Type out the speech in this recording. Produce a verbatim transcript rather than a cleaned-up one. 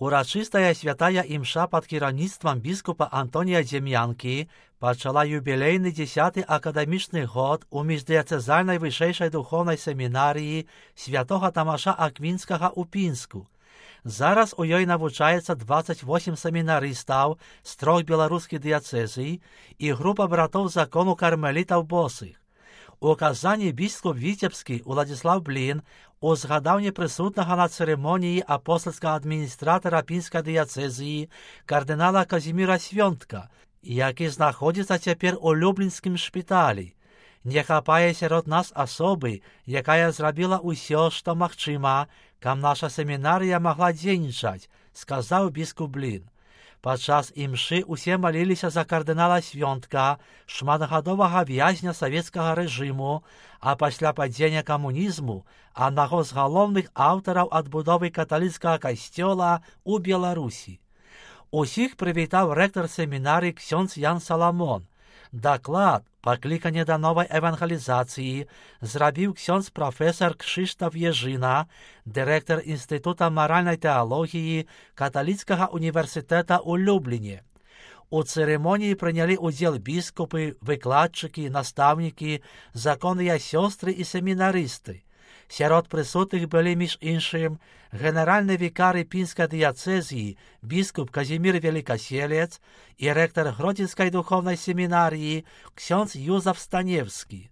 Урачыстая святая імша пад кіраўніцтвам біскупа Антонія Дзем'янкі пачала юбілейны дзесяты акадэмічны год у міждыяцэзальнай вышэйшай духоўнай семінарыі святога Тамаша Аквінскага ў Пінску. Зараз у ёй навучаецца дваццаць восем семінарыстаў з трох беларускіх дыяцэзій і група братоў закону кармелітаў босых. У казанні біскуп Віцебскі Уладзіслаў Блін узгадаў непрысутнага на цырымоніі апостальскага адміністратара пінскай дыяцэзіі кардынала Казіміра Свёнтка, які знаходзіцца цяпер у люблінскім шпіталі. Не хапае сярод нас асобы, якая зрабіла ўсё, што магчыма, каб наша семінарыя магла дзейнічаць, сказаў біскуп Блін. Падчас імшы усе маліліся за кардынала Свёнтка, шматгадовага вязня савецкага рэжыму, а пасля падзення камунізму аднаго з галоўных аўтараў адбудовы каталіцкага касцёла ў Беларусі. Усіх прывітаў рэктар семінарыі ксёндз Ян Саламон. Даклад, пакліканне да новай евангелізацыі, зрабіў ксёндз прафесар Кшыштаф Ежына, дырэктар Інстытута маральнай тэалогіі каталіцкага універсітэта ў Любліне. У цырымоніі прынялі ўдзел біскупы, выкладчыкі, настаўнікі, законныя сёстры і семінарысты. Сярод прысутных былі, між іншым, генеральны вікары пінскай дыяцэзіі біскуп Казімір Велікаселец і рэктар Гродзенскай духоўнай семінарыі ксёндз Юзаф Станевскі.